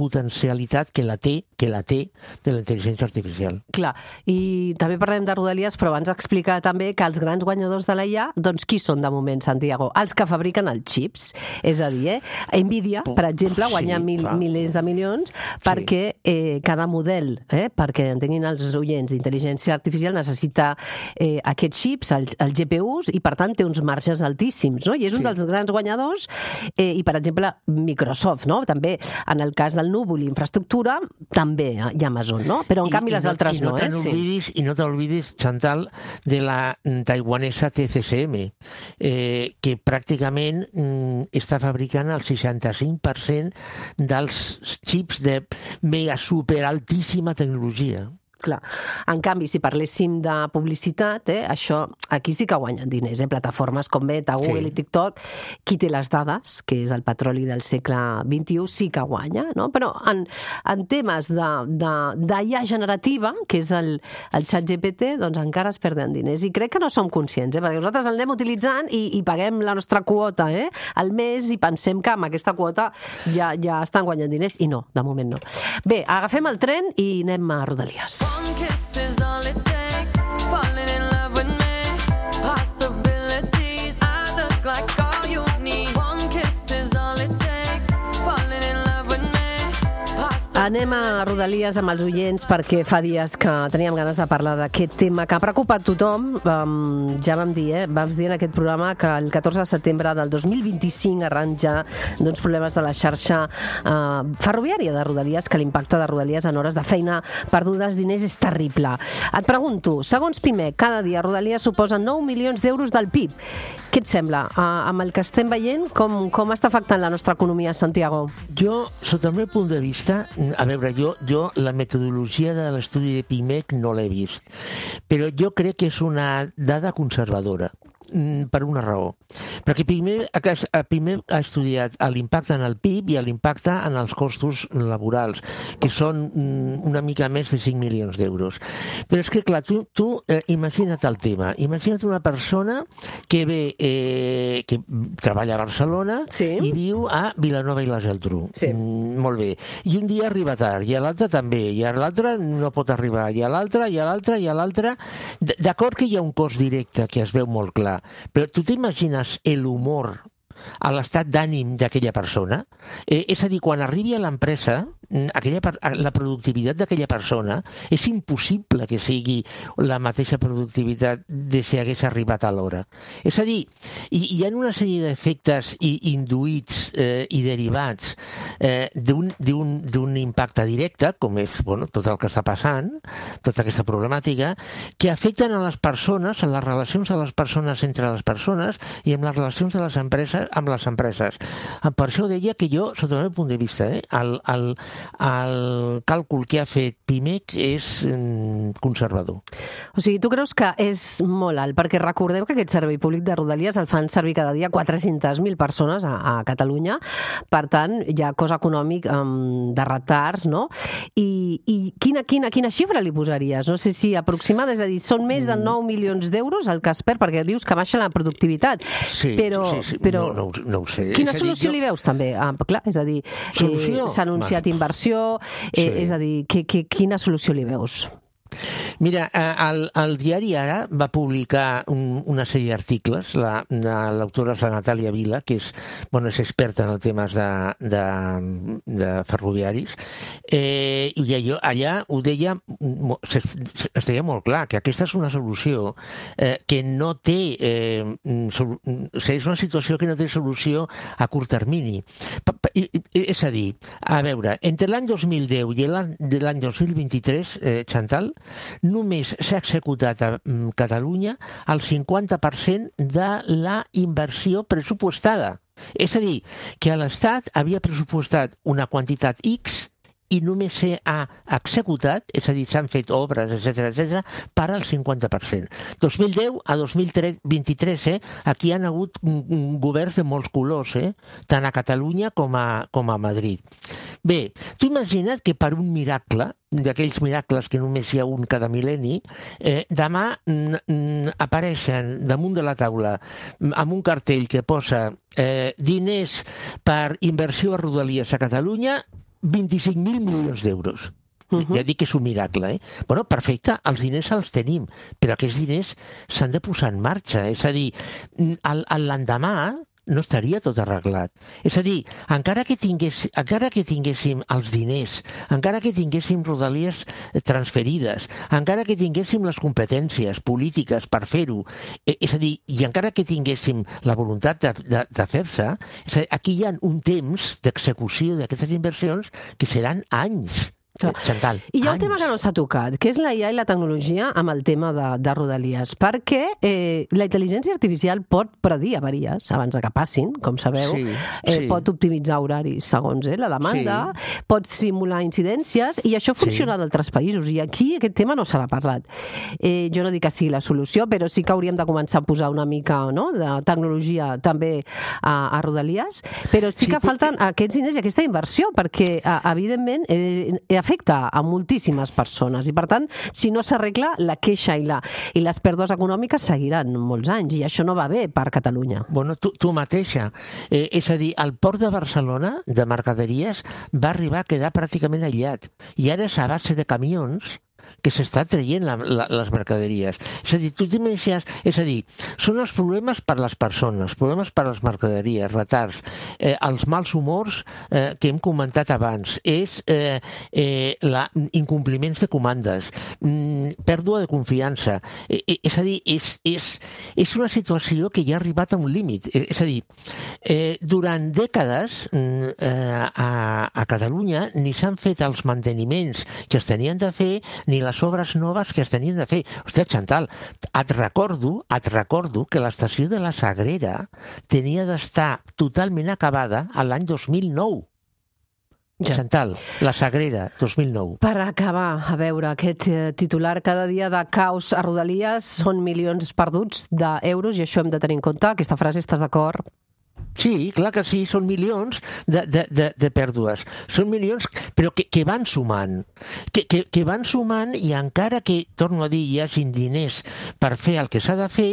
megapotencialitat que la té, que la té de la intel·ligència artificial. Clar, i també parlem de Rodalies, però abans explicar també que els grans guanyadors de l'A I A, doncs qui són de moment, Santiago? Els que fabriquen els xips. És a dir, eh? Nvidia, per exemple, guanya Sí, mil, clar. milers de milions perquè eh, cada model, eh, perquè entenguin els oients, d'intel·ligència artificial necessita eh, aquests xips, els, els G P Us, i per tant té uns marges altíssims, no? I és un Sí. dels grans guanyadors, eh, i per exemple Microsoft, no? També en el cas del núvol i infraestructura, també hi ha Amazon, no? Però en I- canvi i les no, altres i no no, te eh? Sí. n'oblidis, I no t'olvidis, Chantal, de la mm, taiwanesa T C C M, eh, que pràcticament mm, està fabricant el seixanta-cinc per cent dels xips de mega super altíssima tecnologia. Clar. En canvi, si parléssim de publicitat, eh, això aquí sí que guanyen diners, eh? Plataformes com Meta, Google Sí. i TikTok, qui té les dades, que és el petroli del segle vint-i-u, sí que guanya, no? Però en, en temes de, de, d'I A generativa, que és el, el xat G P T, doncs encara es perden diners. I crec que no som conscients, eh? Perquè nosaltres el anem utilitzant i, i paguem la nostra quota, eh? Al mes, i pensem que amb aquesta quota ja, ja estan guanyant diners, i no, de moment no. Bé, agafem el tren i anem a Rodalies. One kiss is all it takes. Falling in love with me. Possibilities. I look like all you need. One kiss is all it takes. Falling in love with me. Possibilities. Anem a Rodalies amb els oients perquè fa dies que teníem ganes de parlar d'aquest tema que ha preocupat tothom. Um, ja vam dir, eh? Vam dir en aquest programa que el catorze de setembre del dos mil vint-i-cinc arran ja d'uns problemes de la xarxa uh, ferroviària de Rodalies, que l'impacte de Rodalies en hores de feina perdudes diners és terrible. Et pregunto, segons Pimec, cada dia Rodalies suposa nou milions d'euros del P I B. Què et sembla? Uh, amb el que estem veient, com, com està afectant la nostra economia, Santiago? Jo, sota el meu punt de vista, a veure, jo, jo la metodologia de l'estudi de Pimec no l'he vist, però jo crec que és una dada conservadora, per una raó. Perquè Pimec, Pimec ha estudiat l'impacte en el P I B i l'impacte en els costos laborals, que són una mica més de cinc milions d'euros. Però és que, clar, tu, tu eh, imagina't el tema. Imagina't una persona que ve, eh, que treballa a Barcelona Sí. i viu a Vilanova i la Geltrú. Sí. Mm, molt bé. I un dia arriba tard, i a l'altre també, i a l'altre no pot arribar, i a l'altre, i a l'altre, i a l'altre... D- D'acord que hi ha un cost directe que es veu molt clar, però tu t'imagines l'humor, a l'estat d'ànim d'aquella persona? Eh, és a dir, quan arribi a l'empresa, aquella, la productivitat d'aquella persona és impossible que sigui la mateixa productivitat de si hagués arribat a l'hora. És a dir, hi, hi ha una sèrie d'efectes induïts eh, i derivats eh, d'un impacte directe, com és bueno, tot el que està passant, tota aquesta problemàtica, que afecten a les persones, a les relacions de les persones entre les persones i amb les relacions de les empreses amb les empreses. Per això deia que jo, sota el meu punt de vista, eh, el, el, el càlcul que ha fet Pimec és mm, conservador. O sigui, tu creus que és molt alt, perquè recordem que aquest servei públic de Rodalies el fan servir cada dia quatre-centes mil persones a, a Catalunya, per tant, hi ha cost econòmic um, de retards, no? I, i quina, quina, quina xifra li posaries? No sé si aproximada, és a dir, són més de nou milions d'euros el que es perd, perquè dius que baixa la productivitat. Sí, però, sí, sí. però No, no, no ho sé. quina És a dir, solució jo- li veus també? Ah, clar, és a dir, Solució? eh, s'ha anunciat Va. inversió, eh, Sí. és a dir, que, que, quina solució li veus? Mira, el, el diari Ara va publicar un, una sèrie d'articles, la, l'autora és la Natàlia Vila, que és, bueno, és experta en els temes de, de, de ferroviaris, eh, i allò, allà ho deia, es deia molt clar, que aquesta és una solució eh, que no té, eh, sol, és una situació que no té solució a curt termini. És a dir, a veure, entre l'any dos mil deu i l'any dos mil vint-i-tres, eh, Chantal, només s'ha executat a Catalunya el cinquanta per cent de la inversió pressupostada. És a dir, que l'Estat havia pressupostat una quantitat X i només s'ha executat, és a dir, s'han fet obres, etcètera, etcètera, per al cinquanta per cent. dos mil deu a dos mil vint-i-tres, eh, aquí han hagut governs de molts colors, eh, tant a Catalunya com a, com a Madrid. Bé, tu imagina't que per un miracle, d'aquells miracles que només hi ha un cada mil·lenni, eh, demà mm, apareixen damunt de la taula amb un cartell que posa eh, diners per inversió a Rodalies a Catalunya, vint-i-cinc mil milions d'euros. Uh-huh. Ja dic que és un miracle, eh? Bueno, perfecte, els diners els tenim, però aquests diners s'han de posar en marxa. És a dir, l'endemà no estaria tot arreglat. És a dir, encara que, tingués, encara que tinguéssim els diners, encara que tinguéssim rodalies transferides, encara que tinguéssim les competències polítiques per fer-ho, eh, és a dir, i encara que tinguéssim la voluntat de, de, de fer-se, és a dir, aquí hi ha un temps d'execució d'aquestes inversions que seran anys. Chantal, I hi ha un anys. tema que no s'ha tocat, que és la I A i la tecnologia amb el tema de, de Rodalies, perquè eh, la intel·ligència artificial pot predir avaries abans de que passin, com sabeu, sí, eh, sí. pot optimitzar horaris segons eh, la demanda, sí. pot simular incidències, i això funciona sí. d'altres països, i aquí aquest tema no se n'ha parlat. Eh, jo no dic que sigui la solució, però sí que hauríem de començar a posar una mica no, de tecnologia també a, a Rodalies, però sí, sí que falten perquè... aquests diners i aquesta inversió, perquè eh, evidentment eh, afecta a moltíssimes persones i per tant, si no s'arregla, la queixa i, la, i les pèrdues econòmiques seguiran molts anys i això no va bé per Catalunya. Bueno, tu, tu mateixa. Eh, és a dir, el port de Barcelona de mercaderies va arribar a quedar pràcticament aïllat i ara és a base de camions que s'està traient la, la, les mercaderies. És a dir, tu t'imagines... És a dir, són els problemes per les persones, problemes per les mercaderies, retards, eh, els mals humors eh, que hem comentat abans, és eh, eh, la, incompliments de comandes, mm, pèrdua de confiança. Eh, eh, és a dir, és, és, és una situació que ja ha arribat a un límit. Eh, és a dir, eh, durant dècades eh, a, a Catalunya ni s'han fet els manteniments que es tenien de fer, ni les obres noves que es tenien de fer. Hòstia, Chantal, et recordo, et recordo que l'estació de la Sagrera tenia d'estar totalment acabada a l'any dos mil nou. Ja. Chantal, la Sagrera, dos mil nou. Per acabar, a veure, aquest titular cada dia de caos a Rodalies són milions perduts d'euros i això hem de tenir en compte. Aquesta frase, estàs d'acord? Sí, clar que sí, són milions de, de, de, de pèrdues. Són milions, però que, que van sumant. Que, que, que van sumant i encara que, torno a dir, hi hagi diners per fer el que s'ha de fer,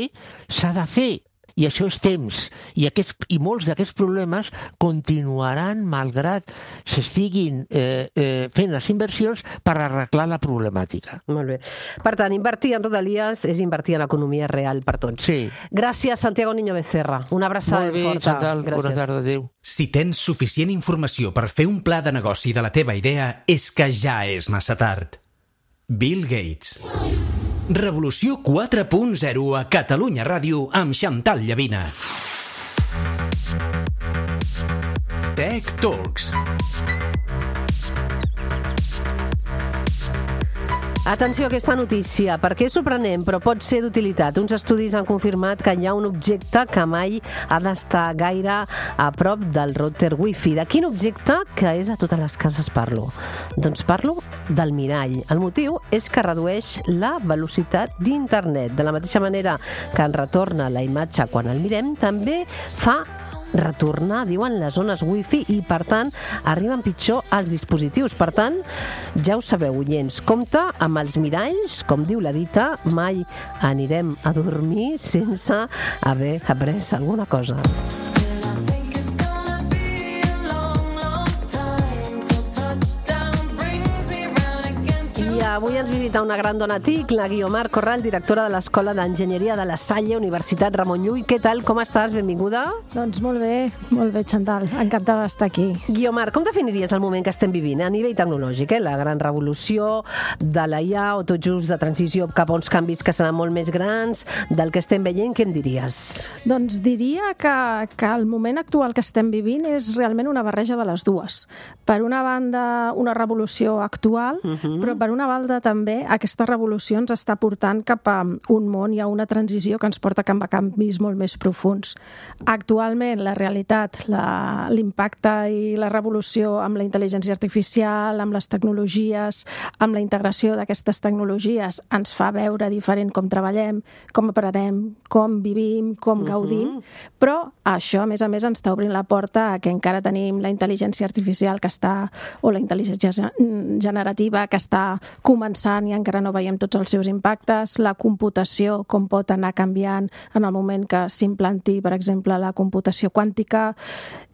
s'ha de fer. I això és temps. I, aquests, i molts d'aquests problemes continuaran malgrat s'estiguin eh, eh, fent les inversions per arreglar la problemàtica. Molt bé. Per tant, invertir en Rodalies és invertir en l'economia real per tots. Sí. Gràcies, Santiago Niño Becerra. Una abraçada forta. Molt bé, Chantal. Bona tarda, adéu. Si tens suficient informació per fer un pla de negoci de la teva idea, és que ja és massa tard. Bill Gates. Revolució quatre punt zero a Catalunya Ràdio amb Chantal Llavina. Tech Talks. Atenció a aquesta notícia, perquè és sorprenent, però pot ser d'utilitat. Uns estudis han confirmat que hi ha un objecte que mai ha d'estar gaire a prop del router Wi-Fi. De quin objecte? Que és a totes les cases parlo. Doncs parlo del mirall. El motiu és que redueix la velocitat d'internet. De la mateixa manera que ens retorna la imatge quan el mirem, també fa retornar, diuen, les zones wifi i, per tant, arriben pitjor als dispositius. Per tant, ja ho sabeu, oients, compte amb els miralls, com diu la dita, mai anirem a dormir sense haver après alguna cosa. I avui ens visita una gran dona tic, la Guiomar Corral, directora de l'Escola d'Enginyeria de la Salle, Universitat Ramon Llull. Què tal, com estàs? Benvinguda. Doncs molt bé, molt bé, Chantal. Encantada d'estar aquí. Guiomar, com definiries el moment que estem vivint a nivell tecnològic? Eh? La gran revolució de la I A o tot just de transició cap a uns canvis que seran molt més grans del que estem veient, què em diries? Doncs diria que, que el moment actual que estem vivint és realment una barreja de les dues. Per una banda, una revolució actual, uh-huh. però per una banda també aquesta revolució ens està portant cap a un món i a una transició que ens porta cap a canvis molt més profuns. Actualment, la realitat, la, l'impacte i la revolució amb la intel·ligència artificial, amb les tecnologies, amb la integració d'aquestes tecnologies, ens fa veure diferent com treballem, com aprenem, com vivim, com uh-huh. gaudim, però això, a més a més, ens està obrint la porta a que encara tenim la intel·ligència artificial que està, o la intel·ligència generativa que està començant i encara no veiem tots els seus impactes, la computació, com pot anar canviant en el moment que s'implanti, per exemple, la computació quàntica,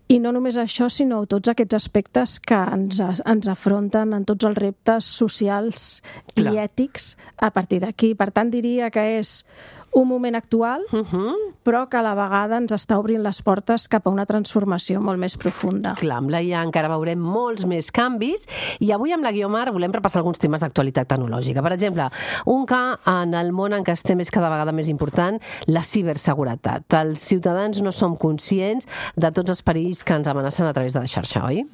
i no només això, sinó tots aquests aspectes que ens, ens afronten en tots els reptes socials Clar. I ètics a partir d'aquí. Per tant, diria que és un moment actual, uh-huh. però que a la vegada ens està obrint les portes cap a una transformació molt més profunda. Clar, amb la I A encara veurem molts més canvis i avui amb la Guiomar volem repassar alguns temes d'actualitat tecnològica. Per exemple, un que en el món en què estem és cada vegada més important, la ciberseguretat. Els ciutadans no som conscients de tots els perills que ens amenacen a través de la xarxa, oi?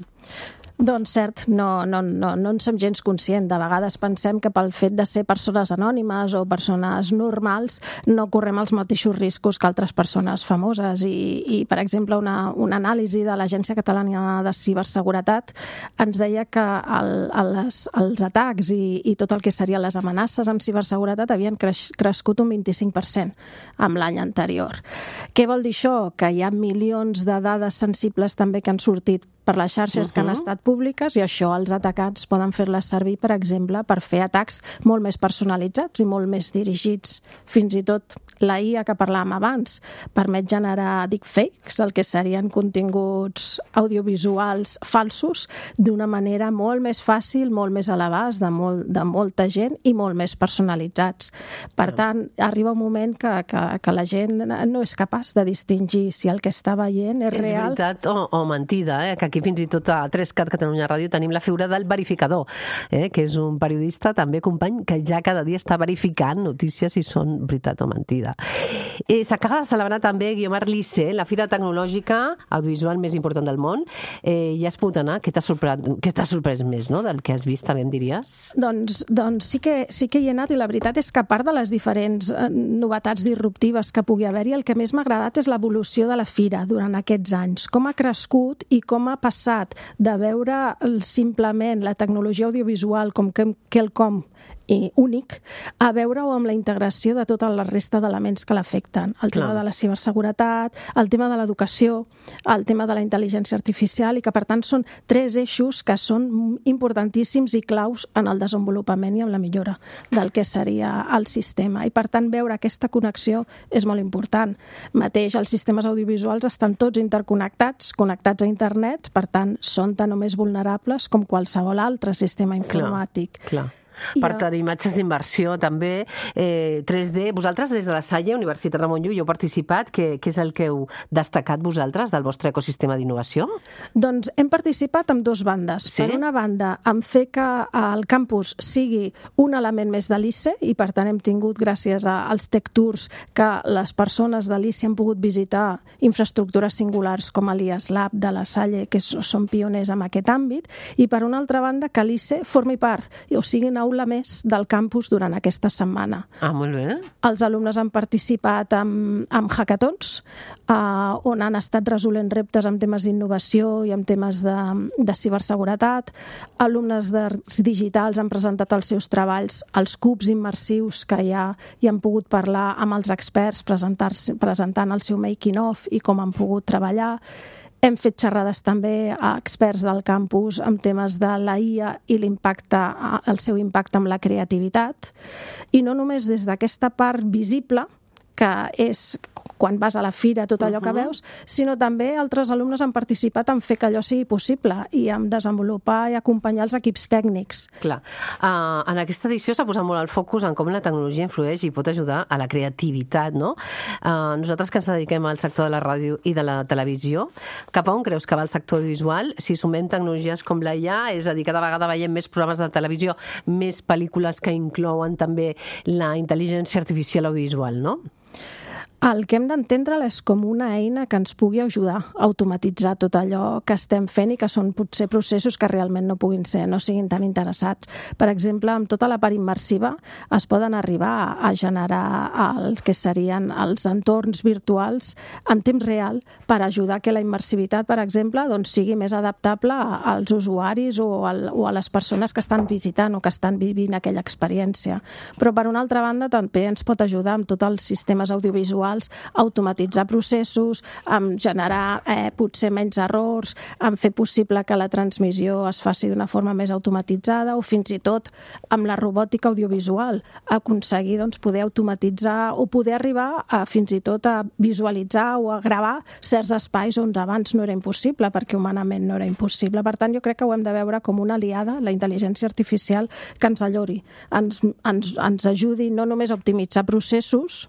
Doncs cert, no, no, no, no en som gens conscient. De vegades pensem que pel fet de ser persones anònimes o persones normals no correm els mateixos riscos que altres persones famoses i, i per exemple, una, una anàlisi de l'Agència Catalana de Ciberseguretat ens deia que el, els, els atacs i, i tot el que serien les amenaces amb ciberseguretat havien creix, crescut un vint-i-cinc per cent amb l'any anterior. Què vol dir això? Que hi ha milions de dades sensibles també que han sortit per les xarxes uh-huh. que han estat públiques i això els atacants poden fer-les servir, per exemple, per fer atacs molt més personalitzats i molt més dirigits. Fins i tot la I A que parlàvem abans permet generar deepfakes, el que serien continguts audiovisuals falsos, d'una manera molt més fàcil, molt més a l'abast de, molt, de molta gent i molt més personalitzats. Per tant, arriba un moment que, que, que la gent no és capaç de distingir si el que està veient és, és real. És veritat o, o mentida, eh? Que aquí fins i tot a tres cat Catalunya Ràdio tenim la figura del verificador, eh? Que és un periodista també company que ja cada dia està verificant notícies si són veritat o mentida. Eh, S'acaba de celebrar també, Guiomar, l'I C E, la fira tecnològica audiovisual més important del món. Eh, ja has pogut anar? Què t'ha sorprès, què t'ha sorprès més, no?, del que has vist, també em diries? Doncs, doncs sí, que, sí que hi he anat i la veritat és que a part de les diferents eh, novetats disruptives que pugui haver-hi, el que més m'ha agradat és l'evolució de la fira durant aquests anys. Com ha crescut i com ha passat de veure simplement la tecnologia audiovisual com quelcom i únic, a veure-ho amb la integració de tota la resta d'elements que l'afecten. El tema Clar. de la ciberseguretat, el tema de l'educació, el tema de la intel·ligència artificial i que, per tant, són tres eixos que són importantíssims i claus en el desenvolupament i en la millora del que seria el sistema. I, per tant, veure aquesta connexió és molt important. Mateix, els sistemes audiovisuals estan tots interconnectats, connectats a internet, per tant, són tan o més vulnerables com qualsevol altre sistema informàtic. Clar, clar. Per tenir imatges d'inversió també, eh, tres D. Vosaltres des de la Salle, Universitat Ramon Llull, heu participat. Què, què és el que heu destacat vosaltres del vostre ecosistema d'innovació? Doncs hem participat amb dues bandes. Sí? Per una banda, en fer que el campus sigui un element més de l'I C E i per tant hem tingut, gràcies als Tech Tours, que les persones de l'I C E han pogut visitar infraestructures singulars com l'I A S Lab de la Salle, que són pioners en aquest àmbit, i per una altra banda que l'I C E formi part, o sigui, una aula més del campus durant aquesta setmana. Ah, molt bé. Els alumnes han participat en, en hackathons, eh, on han estat resolent reptes amb temes d'innovació i amb temes de, de ciberseguretat. Alumnes d'arts digitals han presentat els seus treballs als cubs immersius que hi ha i han pogut parlar amb els experts presentant el seu making of i com han pogut treballar. Hem fet xerrades també a experts del campus amb temes de la I A i l'impacte, el seu impacte amb la creativitat. I no només des d'aquesta part visible, que és quan vas a la fira, tot allò uh-huh. que veus, sinó també altres alumnes han participat en fer que allò sigui possible i en desenvolupar i acompanyar els equips tècnics. Clar. Uh, en aquesta edició s'ha posat molt el focus en com la tecnologia influeix i pot ajudar a la creativitat, no? Uh, nosaltres que ens dediquem al sector de la ràdio i de la televisió, cap a on creus que va el sector audiovisual si sumem tecnologies com la I A, és a dir, cada vegada veiem més programes de televisió, més pel·lícules que inclouen també la intel·ligència artificial audiovisual, no? El que hem d'entendre és com una eina que ens pugui ajudar a automatitzar tot allò que estem fent i que són potser processos que realment no puguin ser, no siguin tan interessats. Per exemple, amb tota la part immersiva es poden arribar a generar el que serien els entorns virtuals en temps real per ajudar que la immersivitat, per exemple, doncs, sigui més adaptable als usuaris o, al, o a les persones que estan visitant o que estan vivint aquella experiència. Però, per una altra banda, també ens pot ajudar amb tots els sistemes audiovisuals a automatitzar processos, a generar eh, potser menys errors, a fer possible que la transmissió es faci d'una forma més automatitzada o fins i tot amb la robòtica audiovisual aconseguir doncs, poder automatitzar o poder arribar a, fins i tot a visualitzar o a gravar certs espais on abans no era impossible perquè humanament no era impossible. Per tant, jo crec que ho hem de veure com una aliada, la intel·ligència artificial, que ens allori, ens, ens, ens ajudi no només a optimitzar processos,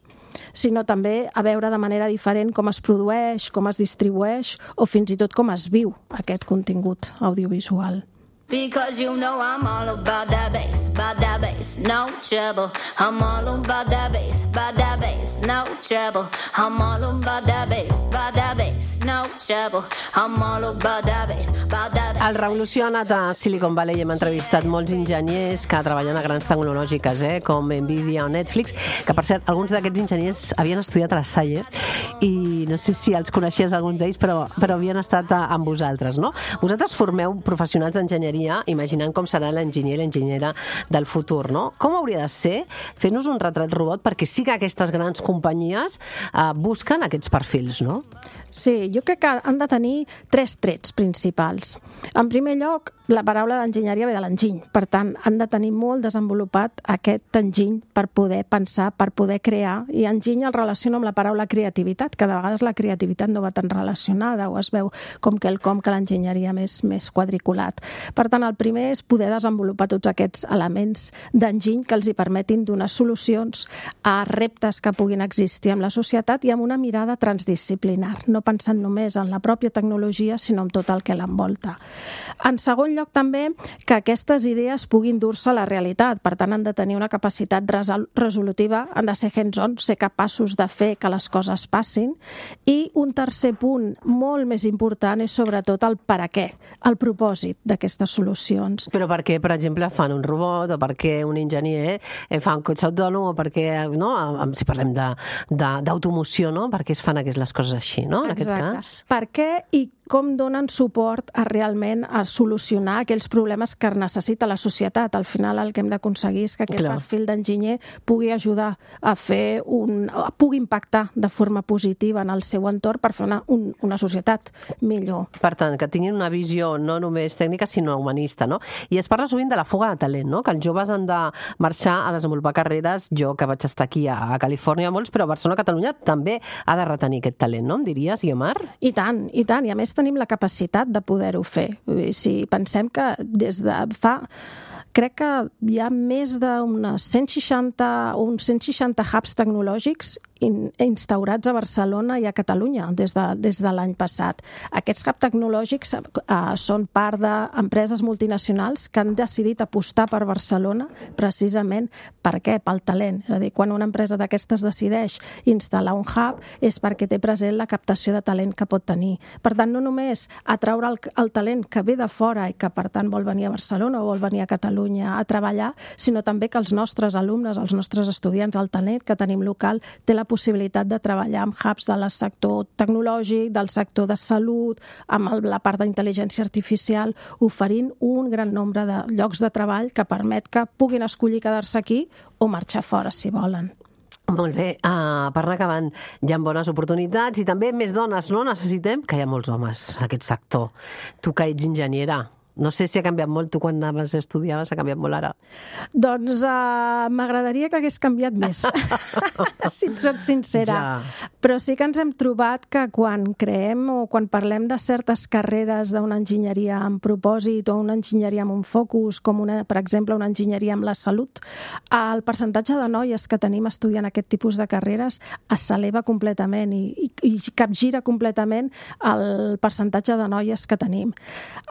sinó també a veure de manera diferent com es produeix, com es distribueix o fins i tot com es viu aquest contingut audiovisual. Because you know I'm all about that bass, about that bass, no trouble. I'm all about that bass, about that bass, no trouble. I'm all about that bass, about that bass, no trouble. I'm all about that bass, about that bass. El Revolució ha anat a Silicon Valley i hem entrevistat molts enginyers que treballen a grans tecnològiques, eh, com Nvidia o Netflix, que per cert, alguns d'aquests enginyers havien estudiat a la Salle i no sé si els coneixies alguns d'ells, però, però havien estat a, amb vosaltres, no? Vosaltres formeu professionals d'enginyeria imaginant com serà l'enginyer i l'enginyera del futur, no? Com hauria de ser? Fes-nos un retrat robot perquè sí que aquestes grans companyies eh, busquen aquests perfils, no? Sí, jo crec que han de tenir tres trets principals. En primer lloc, la paraula d'enginyeria ve de l'enginy. Per tant, han de tenir molt desenvolupat aquest enginy per poder pensar, per poder crear. I enginy el relaciona amb la paraula creativitat, que de vegades la creativitat no va tan relacionada o es veu com quelcom que l'enginyeria més, més quadriculat. Per tant, el primer és poder desenvolupar tots aquests elements d'enginy que els hi permetin donar solucions a reptes que puguin existir en la societat i amb una mirada transdisciplinar, no pensant només en la pròpia tecnologia, sinó en tot el que l'envolta. En segon lloc, també, que aquestes idees puguin dur-se a la realitat. Per tant, han de tenir una capacitat resol resolutiva, han de ser hands-on, ser capaços de fer que les coses passin. I un tercer punt molt més important és sobretot el per a què, el propòsit d'aquestes solucions. Però per què, per exemple, fan un robot, o per què un enginyer fa un cotxe autònom, o per què, no? Si parlem d'automoció, no? Per què es fan les coses així, no? En aquest cas. Per què i com donen suport a realment a solucionar aquells problemes que necessita la societat. Al final el que hem d'aconseguir és que aquest Clar. perfil d'enginyer pugui ajudar a fer un... pugui impactar de forma positiva en el seu entorn per fer una, un, una societat millor. Per tant, que tinguin una visió no només tècnica, sinó humanista, no? I es parla sovint de la fuga de talent, no? Que els joves han de marxar a desenvolupar carreres. Jo, que vaig estar aquí a, a Califòrnia, molts, però a Barcelona, Catalunya, també ha de retenir aquest talent, no? Em diries, Guiomar? I tant, i tant. I a més tenim la capacitat de poder-ho fer. Si pensem que des de fa... Crec que hi ha més d'unes cent seixanta o uns cent seixanta hubs tecnològics instaurats a Barcelona i a Catalunya des de, des de l'any passat. Aquests hubs tecnològics eh, són part d'empreses multinacionals que han decidit apostar per Barcelona precisament per què? Pel talent. És a dir, quan una empresa d'aquestes decideix instal·lar un hub és perquè té present la captació de talent que pot tenir. Per tant, no només atraure el, el talent que ve de fora i que per tant vol venir a Barcelona o vol venir a Catalunya a treballar, sinó també que els nostres alumnes, els nostres estudiants, el talent que tenim local, té la possibilitat de treballar amb hubs del sector tecnològic, del sector de salut, amb el, la part d'intel·ligència artificial, oferint un gran nombre de llocs de treball que permet que puguin escollir quedar-se aquí o marxar fora si volen. Molt bé, uh, per anar acabant, hi ha bones oportunitats i també més dones, no? Necessitem que hi ha molts homes en aquest sector. Tu que ets enginyera, No sé si ha canviat molt. Tu quan anaves a estudiar ha canviat molt ara. Doncs uh, m'agradaria que hagués canviat més, si et soc sincera. Ja. Però sí que ens hem trobat que quan creem o quan parlem de certes carreres d'una enginyeria amb propòsit o una enginyeria amb un focus, com una, per exemple una enginyeria amb la salut, el percentatge de noies que tenim estudiant aquest tipus de carreres s'eleva completament i, i, i capgira completament el percentatge de noies que tenim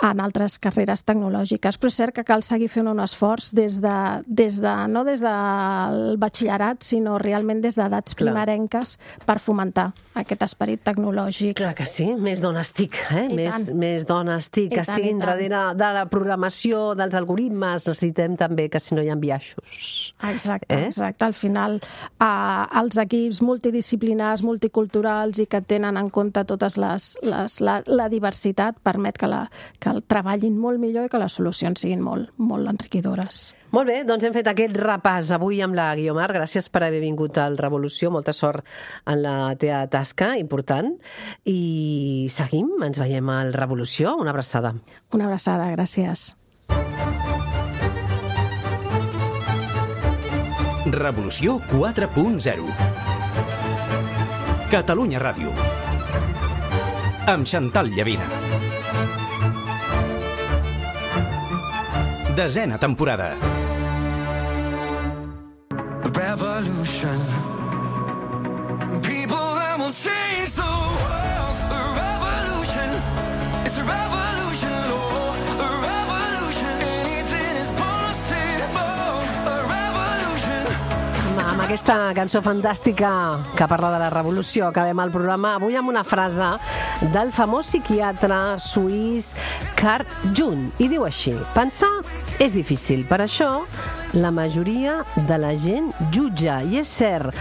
en altres carreres tecnològiques. Però és cert que cal seguir fent un esforç des de, des de, no des del batxillerat, sinó realment des d'edats primerenques per fomentar aquest esperit tecnològic. Clar que sí, més dones TIC, eh? més, més dones TIC que estiguin darrere de la programació, dels algoritmes. Necessitem també que si no hi ha biaixos. Exacte, eh? exacte. Al final, eh, els equips multidisciplinars, multiculturals i que tenen en compte totes les, les, la, la diversitat permet que, la, que el treballin molt millor i que les solucions siguin molt, molt enriquidores. Molt bé, doncs hem fet aquest repàs avui amb la Guiomar. Gràcies per haver vingut al Revolució. Molta sort en la teva tasca, important. I seguim, ens veiem al Revolució. Una abraçada. Una abraçada, gràcies. Revolució quatre punt zero. Catalunya Ràdio. Amb Chantal Llavina. Desena temporada. Revolution. People that will change the world. A revolution. It's a revolution, Lord. A revolution. Anything is possible. A revolution. Amb aquesta cançó fantàstica que parla de la revolució acabem el programa avui amb una frase del famós psiquiatre suís Carl Jung, i diu així: pensar és difícil, per això la majoria de la gent jutja, i és cert.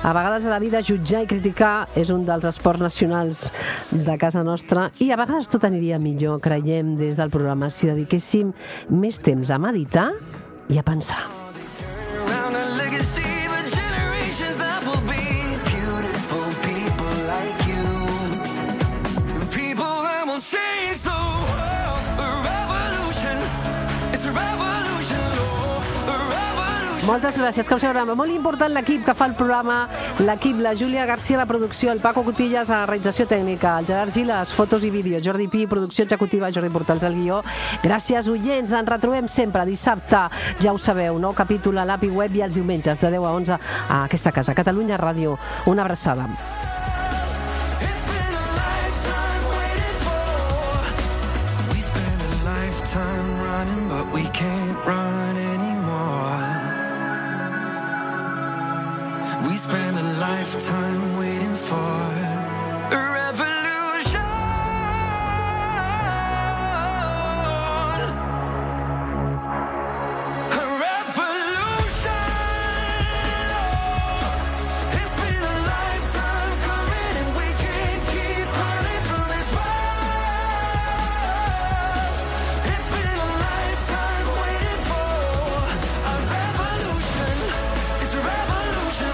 A vegades a la vida jutjar i criticar és un dels esports nacionals de casa nostra i a vegades tot aniria millor, creiem des del programa, si dediquéssim més temps a meditar i a pensar. Moltes gràcies, com sempre. Molt important l'equip que fa el programa, l'equip, la Júlia García, la producció, el Paco Cotillas a la realització tècnica, el Gerard Gil, les fotos i vídeos, Jordi Pi, producció executiva, Jordi Portals al guió. Gràcies, oients, ens retrobem sempre dissabte, ja ho sabeu, nou capítol a l'A P I Web i els diumenges de deu a onze a aquesta casa, Catalunya Ràdio. Una abraçada. We spend a lifetime waiting for a revolution. A revolution. It's been a lifetime coming and we can't keep running from this world. It's been a lifetime waiting for a revolution. It's a revolution.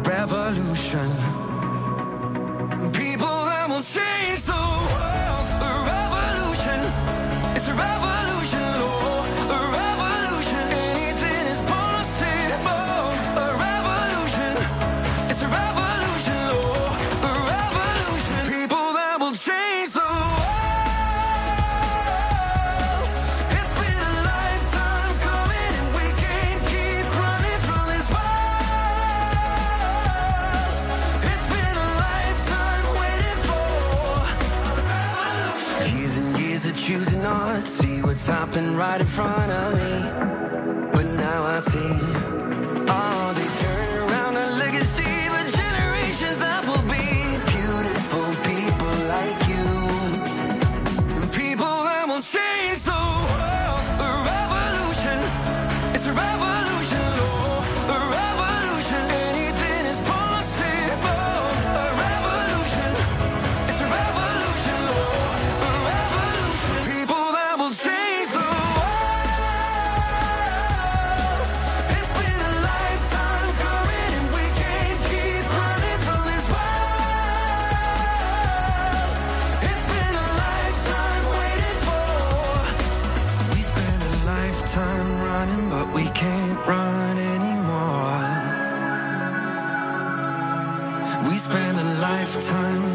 Revolution. People that will change the world. A revolution. It's a revolution, Lord. A revolution. Anything is possible. A revolution. It's a revolution, Lord. A revolution. People that will change the world. It's been a lifetime coming and we can't keep running from this world. Choosing not to see what's happening right in front of me, but now I see all they turn around a legacy for generations that will be beautiful people like you, people that will change the world. A revolution, it's a revolution, Lord. A revolution, anything is possible. A revolution, it's a revolution, Lord. A revolution. People running, but we can't run anymore. We spent a lifetime